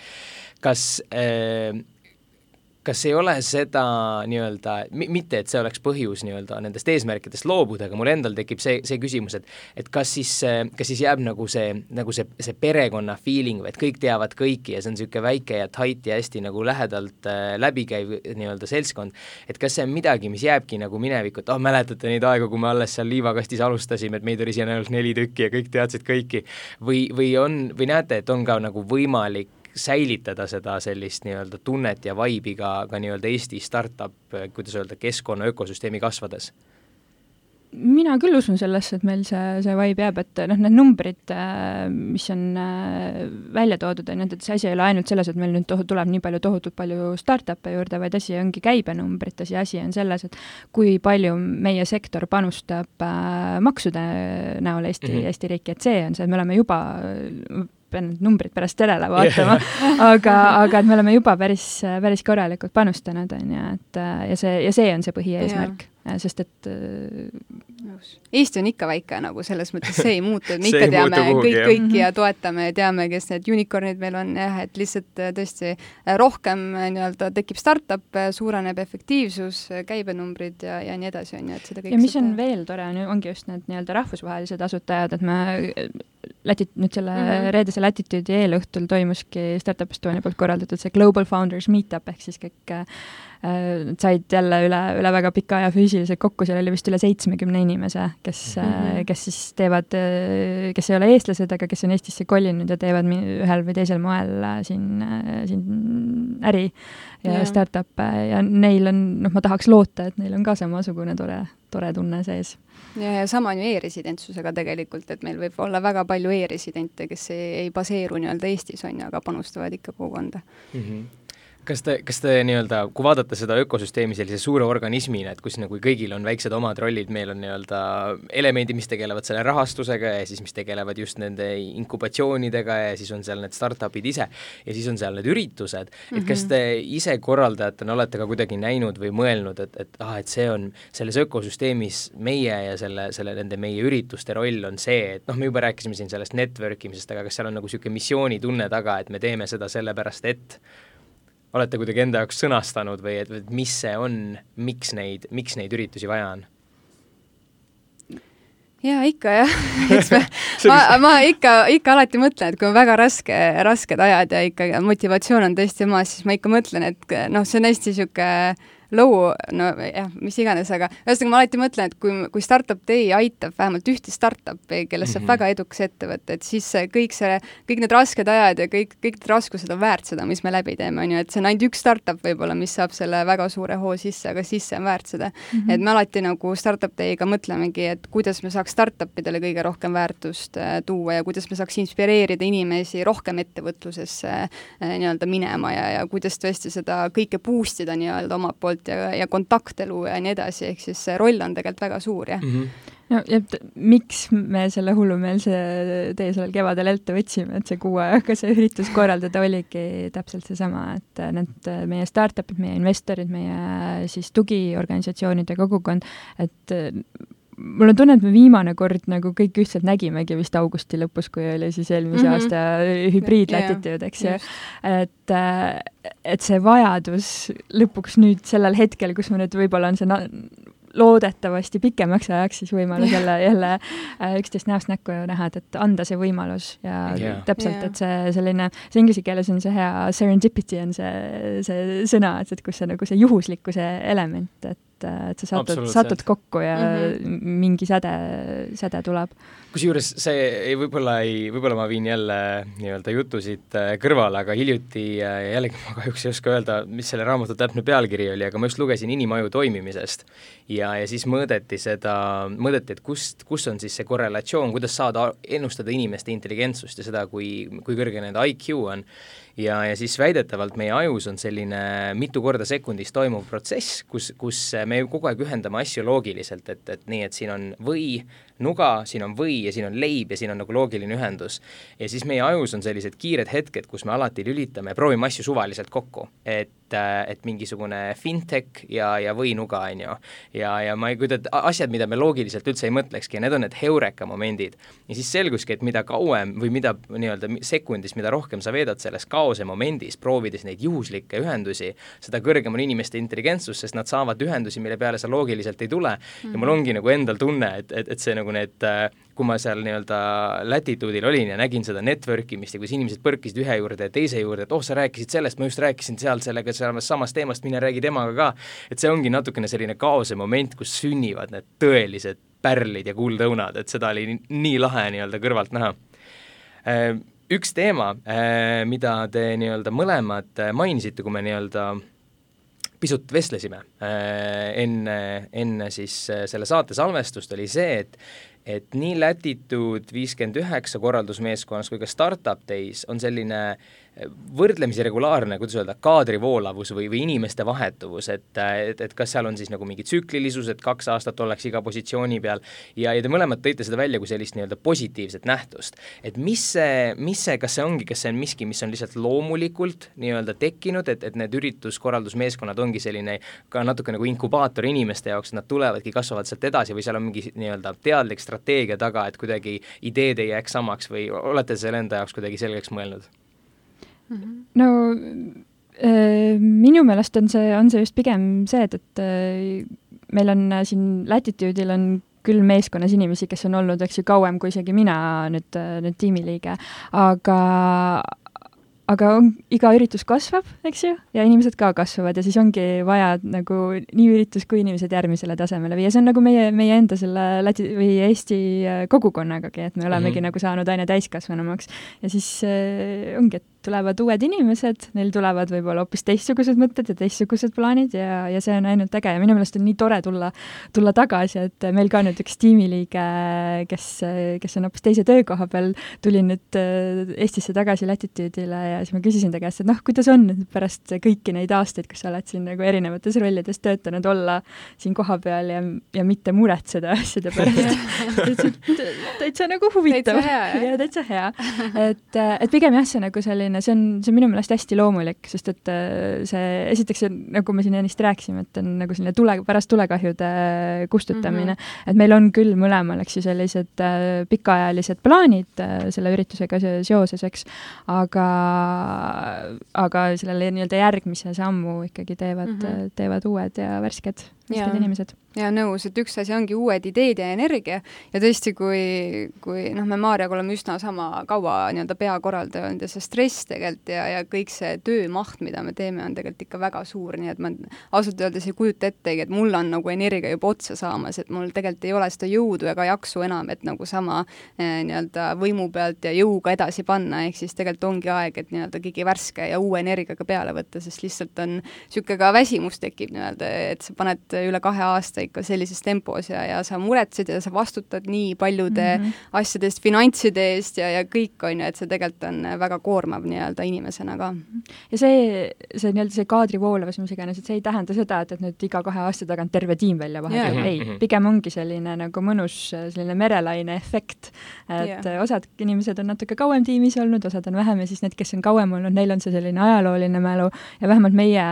Kas ei ole seda nii-öelda, mitte et see oleks põhjus nii-öelda nendest eesmärkidest loobuda, aga mul endal tekib see küsimus, et kas siis jääb nagu see perekonna feeling või et kõik teavad kõiki ja see on niisugune väike ja tight ja hästi nagu lähedalt läbikäiv nii-öelda seltskond, et kas see on midagi, mis jääbki nagu minevikku, et mäletate neid aegu, kui me alles seal liivakastis alustasime, et meid oli siin ainult 4 tükki ja kõik teadsid kõiki või näete, et on ka nagu võimalik säilitada seda sellist nii-öelda tunnet ja vaibi ka nii-öelda Eesti startup, kuidas öelda, keskkonna ökosüsteemi kasvades? mina küll usun sellesse, et meil see vibe jääb, et need numbrid, mis on välja toodud, et see asi ei ole ainult selles, et meil nüüd tuleb nii tohutult palju startup'e juurde, vaid asi ongi käibenumbrites ja asi on selles, et kui palju meie sektor panustab maksude näol Eesti riiki, et see on see, et me oleme juba pean need numbrid pärast telele vaatama, aga et me oleme juba päris korralikult panustanud, on ju, et ja see on see põhieesmärk, sest et Eesti on ikka väike nagu selles mõttes, see ei muutu, et me ikka teame kõiki ja toetame ja teame, kes need unicornid meil on, jah, et lihtsalt tõesti rohkem nii-öelda tekib startup, suureneb efektiivsus, käibenumbrid ja nii edasi, on ju, et seda kõik ja mis on veel tore, ongi just need nii-öelda rahvusvahelised asutajad, et me nüüd selle reedese Latitude'i eelõhtul toimuski Startup Estonia poolt korraldatud see Global Founders Meetup, ehk siis kõik said jälle üle väga pika aja füüsiliselt kokku, seal oli vist üle 70 inimese, kes siis teevad, kes ei ole eestlased, aga kes on Eestisse kolinud ja teevad ühel või teisel moel siin äri ja startup'e ja neil on, ma tahaks loota, et neil on ka samasugune tore tunne sees. Ja sama on ju e-residentsusega tegelikult, et meil võib olla väga palju e-residente, kes ei baseeru nii-öelda Eestis, on ju, aga panustavad ikka kogukonda. Kas te nii-öelda, kui vaadata seda ökosüsteemi sellise suure organismina, et kus nagu kõigil on väiksed omad rollid, meil on nii-öelda elemendid, mis tegelevad selle rahastusega ja siis mis tegelevad just nende inkubatsioonidega ja siis on seal need startupid ise ja siis on seal need üritused, et kas te ise korraldajatena olete ka kuidagi näinud või mõelnud, et see on selles ökosüsteemis meie ja nende meie ürituste roll on see, et me juba rääkisime siin sellest network imisest, aga kas seal on nagu niisugune missioonitunne taga, et me teeme seda sellepärast, et olete kuidagi enda jaoks sõnastanud või et mis see on, miks neid üritusi vaja on? Jaa, ikka jah. ma ikka alati mõtlen, et kui on väga rasked ajad ja ikka motivatsioon on tõesti maas, siis ma ikka mõtlen, et see on hästi niisugune low, mis iganes, aga ühesõnaga ma alati mõtlen, et kui Startup Day aitab vähemalt ühte startupi, kellest saab väga edukas ettevõte, et siis kõik need rasked ajad ja kõik need raskused on väärt seda, mis me läbi teeme, on ju, et see on ainult üks startup võib-olla, mis saab selle väga suure hoo sisse, aga siis see on väärt seda. Et me alati nagu Startup Day'ga mõtlemegi, et kuidas me saaks startupidele kõige rohkem väärtust tuua ja kuidas me saaks inspireerida inimesi rohkem ettevõtlusesse nii-öelda minema ja kuidas tõesti seda kõike boostida nii-öelda omalt poolt ja kontaktelu ja nii edasi, ehk siis see roll on tegelikult väga suur, jah. No ja miks me selle hullumeelse tee sellel kevadel ette võtsime, et see 6 ajaga see üritus korraldada oligi täpselt seesama, et need meie startupid, meie investorid, meie siis tugiorganisatsioonide kogukond, et mul on tunne, et me viimane kord nagu kõik ühtselt nägimegi vist augusti lõpus, kui oli siis eelmise aasta hübriidlatitude, eks ju. Et see vajadus lõpuks nüüd sellel hetkel, kus me nüüd võib-olla on see loodetavasti pikemaks ajaks siis võimalus jälle üksteist näost näkku näha, et anda see võimalus ja täpselt, et see selline, see inglise keeles on see hea serendipity on see sõna, et kus see nagu see juhuslikkuse element, et sa satud kokku ja mingi säde tuleb. Kusjuures see võib-olla ma viin jälle nii-öelda jutusid kõrvale, aga hiljuti jällegi ma kahjuks ei oska öelda, mis selle raamatu täpne pealkiri oli, aga ma just lugesin inimaju toimimisest ja siis mõõdeti, et kus on siis see korrelatsioon, kuidas saada ennustada inimeste intelligentsust ja seda, kui kõrge nende IQ on. Ja siis väidetavalt meie ajus on selline mitu korda sekundis toimuv protsess, kus me kogu aeg ühendame asju loogiliselt, et nii, et siin on või, nuga, siin on või ja siin on leib ja siin on nagu loogiline ühendus. Ja siis meie ajus on sellised kiired hetked, kus me alati lülitame ja proovime asju suvaliselt kokku, et mingisugune fintech ja või nuga, on ju. Ja ma ei kujuta, asjad, mida me loogiliselt üldse ei mõtlekski, ja need on need heureka momendid. Ja siis selguski, et mida kauem või mida nii-öelda sekundis, mida rohkem sa veedad selles kaose momendis, proovides neid juhuslikke ühendusi, seda kõrgem on inimeste intelligentsus, sest nad saavad ühendusi, mille peale sa loogiliselt ei tule. Ja mul ongi nagu endal tunne, et see nagu need, kui ma seal nii-öelda Latitude'il olin ja nägin seda networkimist ja kus inimesed põrkisid ühe juurde ja teise juurde, et sa rääkisid sellest, ma just rääkisin sellega samast teemast, mine räägi temaga ka. Et see ongi natukene selline kaose moment, kus sünnivad need tõelised pärlid ja kuldõunad, et seda oli nii lahe nii-öelda kõrvalt näha. Üks teema, mida te nii-öelda mõlemad mainisite, kui me nii-öelda pisut vestlesime enne siis selle saate salvestust, oli see, et nii Latitude 59 korraldusmeeskonnas kui ka Startup Days on selline võrdlemisi regulaarne, kuidas öelda, kaadrivoolavus või inimeste vahetuvus, et kas seal on siis nagu mingi tsüklilisus, et 2 aastat ollakse iga positsiooni peal ja te mõlemad tõite seda välja kui sellist nii-öelda positiivset nähtust. Et kas see on miski, mis on lihtsalt loomulikult nii-öelda tekkinud, et need ürituskorraldusmeeskonnad ongi selline ka natuke nagu inkubaator inimeste jaoks, et nad tulevadki, kasvavad sealt edasi või seal on mingi nii-öelda teadlik strateegia taga, et kuidagi ideed ei jääks samaks või olete selle enda jaoks kuidagi selgeks mõelnud? No minu meelest on see just pigem see, et meil on siin Latitude'il on küll meeskonnas inimesi, kes on olnud, eks ju, kauem kui isegi mina nüüd tiimiliige, aga iga üritus kasvab, eks ju, ja inimesed ka kasvavad ja siis ongi vaja nagu nii üritus kui inimesed järgmisele tasemele viia. See on nagu meie enda selle või Eesti kogukonnagagi, et me olemegi nagu saanud aina täiskasvanumaks ja siis ongi, et tulevad uued inimesed, neil tulevad võib-olla hoopis teistsugused mõtted ja teistsugused plaanid ja see on ainult äge ja minu meelest on nii tore tulla tagasi, et meil ka nüüd üks tiimiliige, kes on hoopis teise töökoha peal, tuli nüüd Eestisse tagasi Latitude'ile ja siis ma küsisin ta käest, et kuidas on pärast kõiki neid aastaid, kus sa oled siin nagu erinevates rollides töötanud, olla siin koha peal ja mitte muretseda asjade pärast. täitsa nagu huvitav. Täitsa hea. Et pigem jah, see nagu selline see on minu meelest hästi loomulik, sest et see esiteks, nagu me siin ennist rääkisime, et on nagu selline pärast tulekahjude kustutamine, et meil on küll mõlemal, eks ju, sellised pikaajalised plaanid selle üritusega seoses, eks, aga sellele nii-öelda järgmise sammu ikkagi teevad uued ja värsked inimesed. Ja nõus, et üks asi ongi uued ideed ja energia ja tõesti, kui me Maarjaga oleme üsna sama kaua nii-öelda peakorraldaja olnud ja see stress tegelikult ja kõik see töömaht, mida me teeme, on tegelikult ikka väga suur, nii et ma ausalt öeldes ei kujuta ettegi, et mul on nagu energia juba otsa saamas, et mul tegelikult ei ole seda jõudu ega jaksu enam, et nagu sama nii-öelda võimu pealt ja jõuga edasi panna, ehk siis tegelikult ongi aeg, et nii-öelda keegi värske ja uue energiaga peale võtta, sest lihtsalt on niisugune ka väsimus tekib nii-öelda, et sa paned üle 2 aasta ikka sellises tempos ja sa muretsed ja sa vastutad nii paljude asjadest, finantside eest ja kõik on ju, et see tegelikult on väga koormav nii-öelda inimesena ka. Ja see nii-öelda see kaadrivoolavus, mis iganes, et see ei tähenda seda, et nüüd iga 2 aasta tagant terve tiim välja vahetab. Ei, pigem ongi selline nagu mõnus selline merelaine efekt, et osad inimesed on natuke kauem tiimis olnud, osad on vähem ja siis need, kes on kauem olnud, neil on see selline ajalooline mälu ja vähemalt meie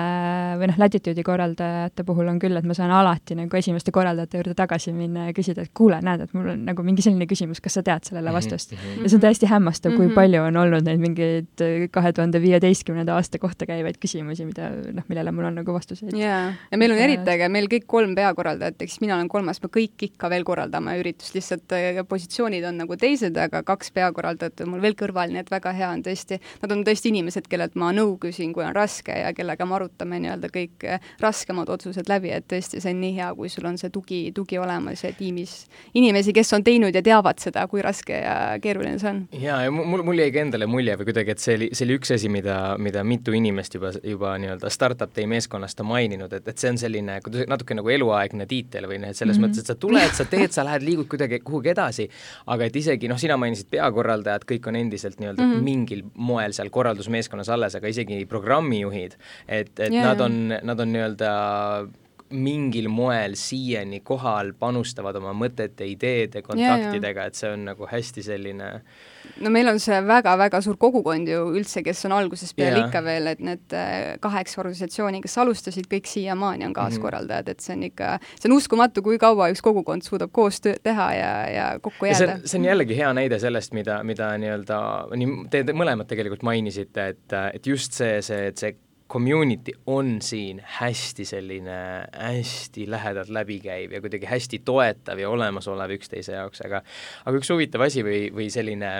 või Latitude'i korraldajate puhul on küll, et ma saan alati nagu esimeste korraldajate juurde tagasi minna ja küsida, et kuule, näed, et mul on nagu mingi selline küsimus, kas sa tead sellele vastust? Ja see on täiesti hämmastav, kui palju on olnud neid mingeid 2015. aasta kohta käivaid küsimusi, millele mul on nagu vastuseid. Ja meil on eriti äge, meil kõik 3 peakorraldajat, eks mina olen 3, me kõik ikka veel korraldame üritust, lihtsalt positsioonid on nagu teised, aga 2 peakorraldajat on mul veel kõrval, nii et väga hea on tõesti, nad on tõesti inimesed, kellelt ma nõu küsin, kui on raske ja kellega me arutame nii-öelda kõik raskemad otsused läbi, et tõesti see on nii hea, kui sul on see tugi olemas ja tiimis inimesi, kes on teinud ja teavad seda, kui raske ja keeruline see on. Ja mul jäi ka endale mulje või kuidagi, et see oli üks asi, mida mitu inimest juba nii-öelda Startup Day meeskonnast on maininud, et see on selline natuke nagu eluaegne tiitel või selles mõttes, et sa tuled, sa teed, sa lähed, liigud kuidagi kuhugi edasi, aga et isegi, sina mainisid peakorraldajad, kõik on endiselt nii-öelda mingil moel seal korraldusmeeskonnas alles, aga isegi programmijuhid, et nad on nii-öelda mingil moel siiani kohal, panustavad oma mõtete, ideede, kontaktidega, et see on nagu hästi selline... No meil on see väga-väga suur kogukond ju üldse, kes on alguses peale ikka veel, et need 8 organisatsiooni, kes alustasid, kõik siiamaani on kaaskorraldajad, et see on uskumatu, kui kaua üks kogukond suudab koos teha ja kokku jääda. See on jällegi hea näide sellest, mida nii-öelda, te mõlemad tegelikult mainisite, et just see community on siin hästi selline, hästi lähedalt läbikäiv ja kuidagi hästi toetav ja olemasolev üksteise jaoks, aga üks huvitav asi või selline,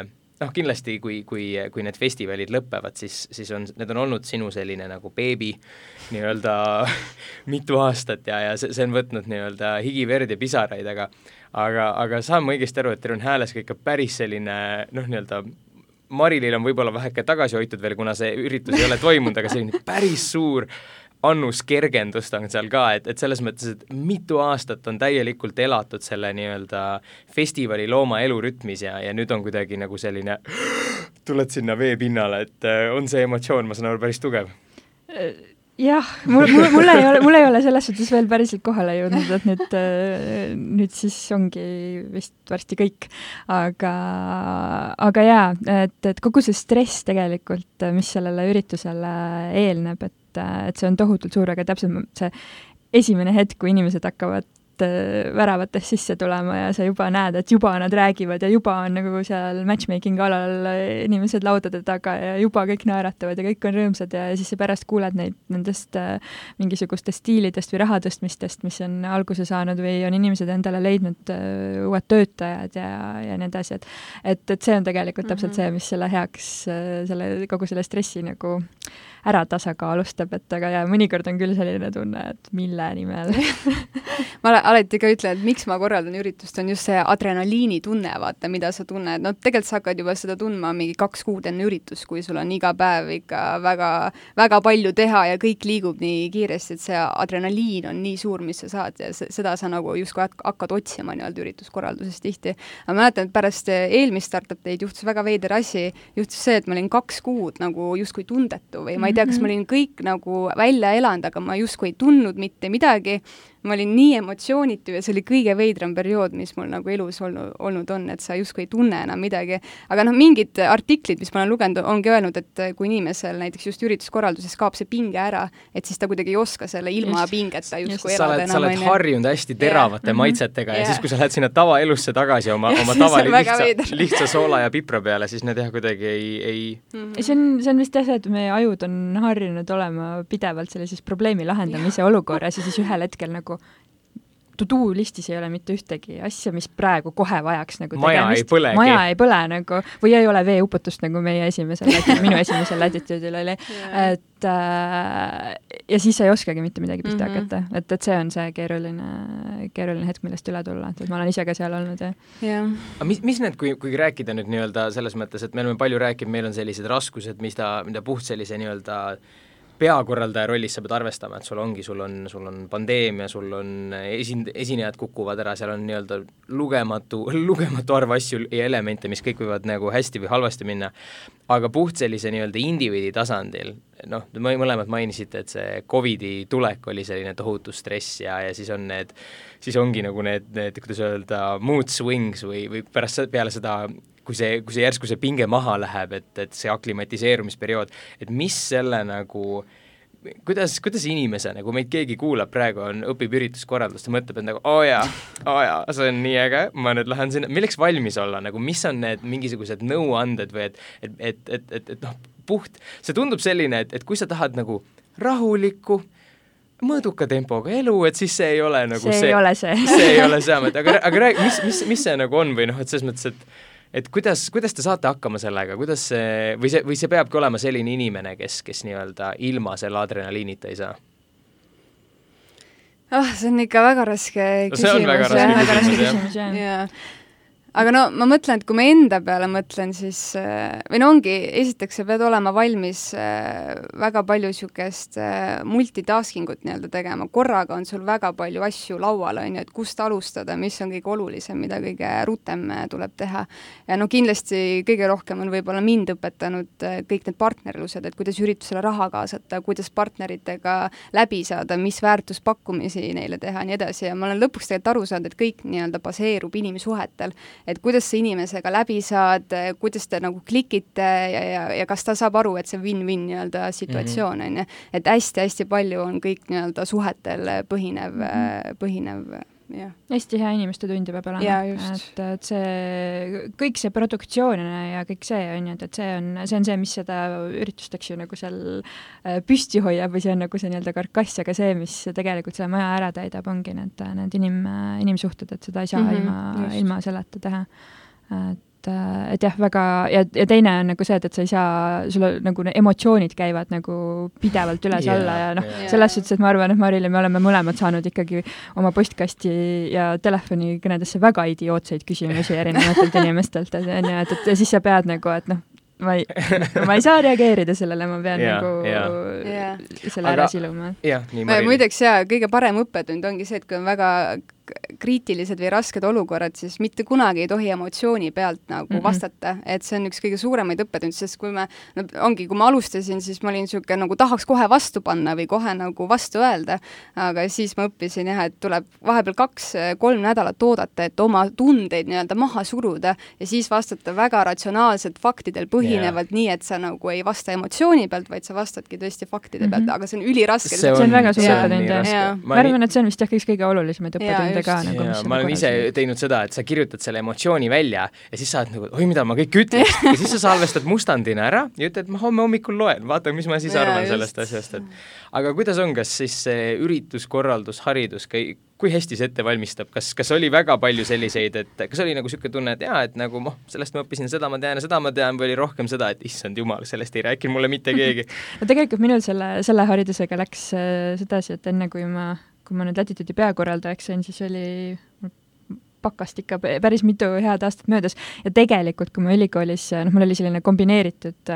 kindlasti kui need festivalid lõpevad, siis need on olnud sinu selline nagu beebi nii-öelda mitu aastat ja see on võtnud nii-öelda higi, verd ja pisaraid, aga saan ma õigesti aru, et teil on hääles ka ikka päris selline, nii-öelda Marilil on võib-olla väheke tagasi hoitud veel, kuna see üritus ei ole toimunud, aga selline päris suur annus kergendust on seal ka, et selles mõttes, et mitu aastat on täielikult elatud selle nii-öelda festivali looma elurütmis ja nüüd on kuidagi nagu selline tuled sinna veepinnale, et on see emotsioon, ma saan aru, päris tugev. Jah, mul ei ole selles suhtes veel päriselt kohale jõudnud, et nüüd siis ongi vist varsti kõik. Aga jaa, et kogu see stress tegelikult, mis sellele üritusele eelneb, et see on tohutult suur, aga täpselt see esimene hetk, kui inimesed hakkavad väravatest sisse tulema ja sa juba näed, et juba nad räägivad ja juba on nagu seal matchmaking alal inimesed laudade taga ja juba kõik naeratavad ja kõik on rõõmsad ja siis sa pärast kuuled nendest mingisugustest stiilidest või rahatõstmistest, mis on alguse saanud või on inimesed endale leidnud uued töötajad ja nii edasi, et see on tegelikult täpselt see, mis selle heaks, kogu selle stressi nagu ära tasakaalustab, et aga ja mõnikord on küll selline tunne, et mille nimel. Ma alati ka ütlen, et miks ma korraldan üritust, on just see adrenaliini tunne, vaata, mida sa tunned. No tegelikult sa hakkad juba seda tundma mingi 2 kuud enne üritust, kui sul on iga päev ikka väga, väga palju teha ja kõik liigub nii kiiresti, et see adrenaliin on nii suur, mis sa saad ja seda sa nagu justkui hakkad otsima nii-öelda ürituskorralduses tihti. Ma mäletan, et pärast eelmist Startup Day'd juhtus väga veider asi, juhtus see, et ma olin 2 kuud nagu justkui tundetu või ma ei tea, kas ma olin kõik nagu välja elanud, aga ma justkui ei tundnud mitte midagi. Ma olin nii emotsioonitu ja see oli kõige veidram periood, mis mul nagu elus olnud on, et sa justkui ei tunne enam midagi. Aga mingid artiklid, mis ma olen lugenud, ongi öelnud, et kui inimesel näiteks just ürituskorralduses kaob see pinge ära, et siis ta kuidagi ei oska selle ilma pingeta justkui elada enam. Sa oled harjunud hästi teravate maitsetega ja siis, kui sa lähed sinna tavaelusse tagasi oma tavali lihtsa soola ja pipra peale, siis need kuidagi ei... See on vist jah, et meie ajud on harjunud olema pidevalt sellises probleemi lahendamise olukorras ja siis ühel hetkel nagu to-do listis ei ole mitte ühtegi asja, mis praegu kohe vajaks nagu tegemist. Maja ei põle nagu, või ei ole veeuputust nagu minu esimesel latituudil oli. Et ja siis sa ei oskagi mitte midagi pihta hakata. Et see on see keeruline hetk, millest üle tulla. Et ma olen ise ka seal olnud. Ja. Mis need, kui rääkida nüüd nii-öelda selles mõttes, et me oleme palju rääkinud, meil on sellised raskused, mida puht sellise nii-öelda peakorraldaja rollis sa pead arvestama, et sul on pandeemia, sul on esinejad kukuvad ära, seal on nii-öelda lugematu arv asju ja elemente, mis kõik võivad nagu hästi või halvasti minna, aga puht sellise nii-öelda indiviidi tasandil, mõlemad mainisite, et see COVID-i tulek oli selline tohutu stress ja siis ongi nagu need, kuidas öelda, mood swings või peale seda kui see järsku see pinge maha läheb, et see aklimatiseerumisperiood, et mis selle nagu, kuidas inimese, nagu meid keegi kuulab praegu, õpib ürituskorraldust ja mõtleb, et nagu, see on nii äge, ma nüüd lähen sinna, milleks valmis olla, nagu mis on need mingisugused nõuanded või et puht, see tundub selline, et kui sa tahad nagu rahulikku, mõõduka tempoga elu, et siis see ei ole nagu see ei ole see. See ei ole see, aga räägi, mis see nagu on või et selles mõttes, et kuidas te saate hakkama sellega, kuidas see, või see peabki olema selline inimene, kes nii-öelda ilma selle adrenaliinita ei saa? See on ikka väga raske küsimus. See on väga raske küsimus, jah. Aga ma mõtlen, et kui ma enda peale mõtlen, siis ongi, esiteks sa pead olema valmis väga palju niisugust multitaskingut nii-öelda tegema. Korraga on sul väga palju asju laual, et kust alustada, mis on kõige olulisem, mida kõige rutem tuleb teha. Ja kindlasti kõige rohkem on võib-olla mind õpetanud kõik need partnerlused, et kuidas üritusele raha kaasata, kuidas partneritega läbi saada, mis väärtuspakkumisi neile teha, nii edasi. Ja ma olen lõpuks tegelikult aru saanud, et kõik nii-öelda baseerub inimsuhetel. Et kuidas sa inimesega läbi saad, kuidas te nagu klikite ja kas ta saab aru, et see win-win nii-öelda situatsioon on. Et hästi-hästi palju on kõik nii-öelda suhetel põhinev. Ja. Hästi hea inimeste tundi peab olema, et see, kõik see produktsioonina ja kõik see on, et see on see, mis seda üritust, eks ju, nagu seal püsti hoiab või see on nagu see nii-öelda karkass, aga see, mis tegelikult selle maja ära täidab, ongi need inimsuhted, et seda ei saa ilma selleta teha. Et jah, väga, ja teine on nagu see, et sa ei saa, sul nagu emotsioonid käivad nagu pidevalt üles-alla ja selles suhtes, et ma arvan, et Maril ja me oleme mõlemad saanud ikkagi oma postkasti ja telefonikõnedesse väga idiootseid küsimusi erinevatelt inimestelt, et siis sa pead nagu, et ma ei saa reageerida sellele, ma pean selle ära siluma. Muideks kõige parem õppetund ongi see, et kui on väga kriitilised või rasked olukorrad, siis mitte kunagi ei tohi emotsiooni pealt nagu vastata, et see on üks kõige suuremaid õppetundi, sest kui ma alustasin, siis ma olin niisugune nagu tahaks kohe vastu panna või kohe nagu vastu öelda, aga siis ma õppisin et tuleb vahepeal 2-3 nädalat oodata, et oma tundeid nii-öelda maha suruda ja siis vastata väga ratsionaalselt faktidel põhinevalt, nii et sa nagu ei vasta emotsiooni pealt, vaid sa vastadki tõesti faktide pealt, aga see on üliraske. See on väga suur õppetund. Ma arvan, et see on vist üks kõige olulisemaid õppetunde ka. Ma olen ise teinud seda, et sa kirjutad selle emotsiooni välja ja siis saad nagu, oi, mida ma kõik ütleks. Ja siis sa salvestad mustandina ära ja ütled, et ma homme hommikul loen, vaata, mis ma siis arvan sellest asjast. Aga kuidas on, kas siis see ürituskorraldus, haridus, kui hästi see ette valmistab? Kas oli väga palju selliseid, et kas oli nagu selline tunne, et et nagu sellest ma õppisin, seda ma tean ja seda ma tean, või oli rohkem seda, et issand jumal, sellest ei rääkinud mulle mitte keegi? No tegelikult minul selle haridusega läks sedasi, et enne kui ma nüüd Latitude'i peakorraldajaks sain, siis oli pakast ikka päris mitu head aastat möödas ja tegelikult, kui ma ülikoolis, mul oli selline kombineeritud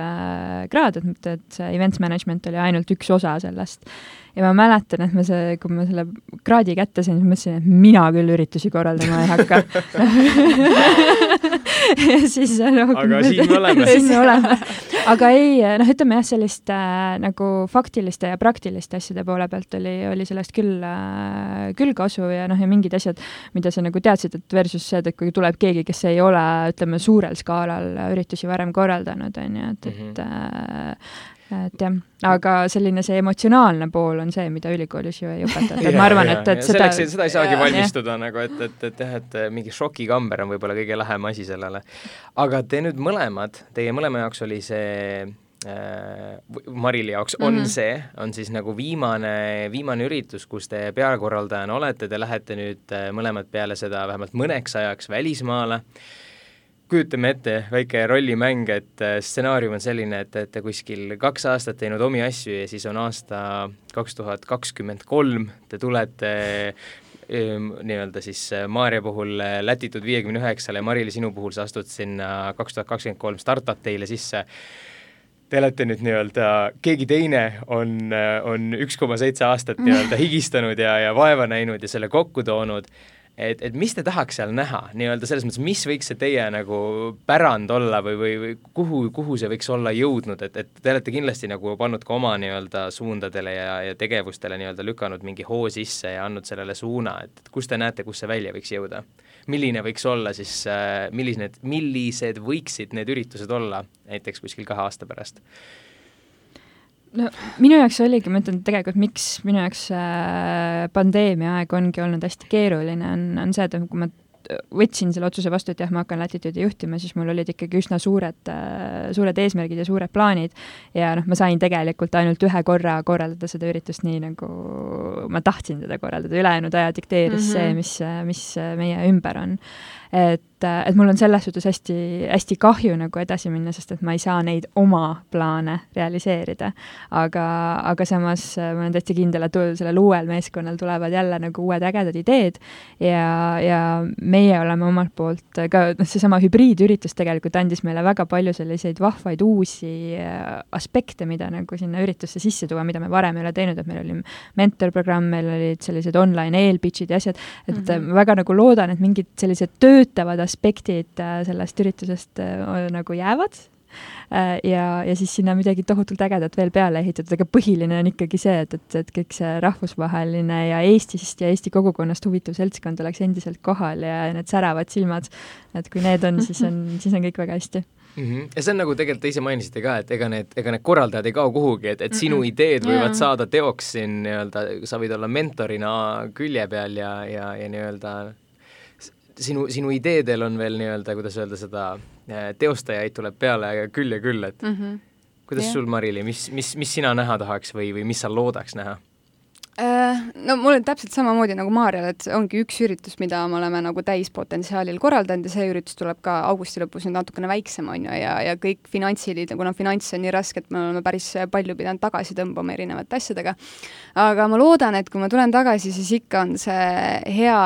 kraad, et see events management oli ainult üks osa sellest. Ja ma mäletan, et kui ma selle kraadi kätte sain, siis mõtlesin, et mina küll üritusi korraldama ei hakka. Ja siis, aga siin me oleme. Aga ei, ütleme jah, sellist nagu faktiliste ja praktiliste asjade poole pealt oli sellest küll kasu ja ja mingid asjad, mida sa nagu teadsid, et versus see, et kui tuleb keegi, kes ei ole, ütleme, suurel skaalal üritusi varem korraldanud, on ju, et jah, aga selline see emotsionaalne pool on see, mida ülikoolis ju ei õpetata. Ma arvan, et seda ei saagi valmistuda nagu, et mingi šokikamber on võib-olla kõige lähem asi sellele. Aga te nüüd teie mõlema jaoks oli see Marili jaoks on siis nagu viimane üritus, kus te peakorraldajana olete, te lähete nüüd mõlemad peale seda vähemalt mõneks ajaks välismaale. Kujutame ette väike rollimäng, et stsenaarium on selline, et te kuskil 2 aastat teinud omi asju ja siis on aasta 2023, te tulete nii-öelda siis Maarja puhul Latitude 59 ja Marili sinu puhul sa astud sinna 2023 startup teile sisse. Te olete nüüd nii-öelda, keegi teine on 1,7 aastat nii-öelda higistanud ja vaeva näinud ja selle kokku toonud. Et mis te tahaks seal näha, nii-öelda selles mõttes, mis võiks see teie nagu pärand olla või kuhu see võiks olla jõudnud, et te olete kindlasti nagu pannud ka oma nii-öelda suundadele ja tegevustele nii-öelda lükanud mingi hoo sisse ja andnud sellele suuna, et kus te näete, kus see välja võiks jõuda? Milline võiks olla siis, millised võiksid need üritused olla näiteks kuskil 2 aasta pärast? No minu jaoks oligi, ma ütlen tegelikult, miks minu jaoks pandeemia aeg ongi olnud hästi keeruline, on see, et kui ma võtsin selle otsuse vastu, et jah, ma hakkan Latitude'i juhtima, siis mul olid ikkagi üsna suured eesmärgid ja suured plaanid ja ma sain tegelikult ainult 1 korra korraldada seda üritust nii, nagu ma tahtsin seda korraldada, ülejäänud aja dikteeris see, mis meie ümber on. Et mul on selles suhtes hästi kahju nagu edasi minna, sest et ma ei saa neid oma plaane realiseerida. Aga samas ma olen täitsa kindel, et sellel uuel meeskonnal tulevad jälle nagu uued ägedad ideed ja meie oleme omalt poolt ka, seesama hübriidüritus tegelikult andis meile väga palju selliseid vahvaid uusi aspekte, mida nagu sinna üritusse sisse tuua, mida me varem ei ole teinud, et meil oli mentorprogramm, meil olid sellised online eelpitchid ja asjad, et ma väga nagu loodan, et mingid sellised töötavad aspektid sellest üritusest nagu jäävad ja siis sinna midagi tohutult ägedat veel peale ehitatud, aga põhiline on ikkagi see, et kõik see rahvusvaheline ja Eestist ja Eesti kogukonnast huvitav seltskond oleks endiselt kohal ja need säravad silmad, et kui need on, siis on kõik väga hästi. Ja see on nagu tegelikult te ise mainisite ka, et ega need korraldajad ei kao kuhugi, et sinu ideed võivad saada teoks siin nii-öelda, sa võid olla mentorina külje peal ja nii-öelda sinu ideedel on veel nii-öelda, kuidas öelda seda, teostajaid tuleb peale küll ja küll, et kuidas sul, Marili, mis sina näha tahaks või mis sa loodaks näha? No mul on täpselt samamoodi nagu Maarjal, et ongi üks üritus, mida me oleme nagu täispotentsiaalil korraldanud ja see üritus tuleb ka augusti lõpus nüüd natukene väiksem on ju ja kõik finantsilid, kuna finants on nii raske, et me oleme päris palju pidanud tagasi tõmbama erinevate asjadega. Aga ma loodan, et kui ma tulen tagasi, siis ikka on see hea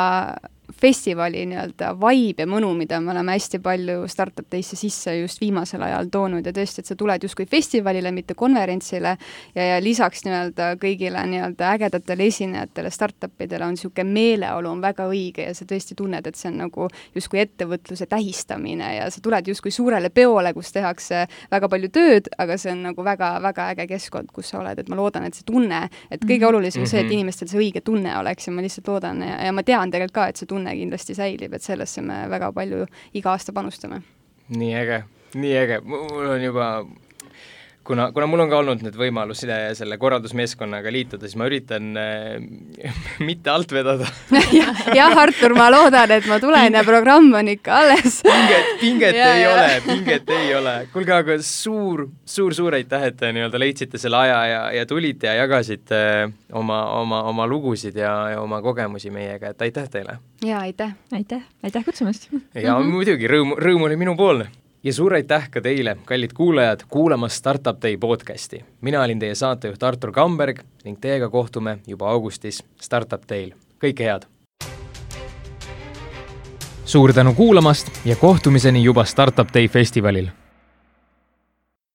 festivali nii-öelda vibe ja mõnu, mida me oleme hästi palju Startup Day'sse sisse just viimasel ajal toonud ja tõesti, et sa tuled justkui festivalile, mitte konverentsile ja lisaks nii-öelda kõigile nii-öelda ägedatele esinejatele, startupidele on niisugune meeleolu on väga õige ja sa tõesti tunned, et see on nagu justkui ettevõtluse tähistamine ja sa tuled justkui suurele peole, kus tehakse väga palju tööd, aga see on nagu väga-väga äge keskkond, kus sa oled, et ma loodan, et see tunne, et kõige olulisem see, et inimestel see õige tunne oleks ja ma lihtsalt loodan ja ma tean tegelikult ka, et see tunne kindlasti säilib, et sellesse me väga palju iga aasta panustame. Nii äge. Mul on juba, kuna mul on ka olnud nüüd võimalus selle korraldusmeeskonnaga liituda, siis ma üritan mitte alt vedada. jah, Artur, ma loodan, et ma tulen ja programm on ikka alles. Pinget ei ole. Kuulge, aga suur aitäh, et te nii-öelda leidsite selle aja ja tulite ja jagasite oma lugusid ja oma kogemusi meiega, et aitäh teile. Ja, aitäh. Aitäh kutsumast. Ja muidugi, rõõm oli minu poolne. Ja suur aitäh ka teile, kallid kuulajad, kuulamas Startup Day podcasti. Mina olin teie saatejuht Artur Kamberg ning teiega kohtume juba augustis Startup Day'l. Kõike head! Suur tänu kuulamast ja kohtumiseni juba Startup Day festivalil!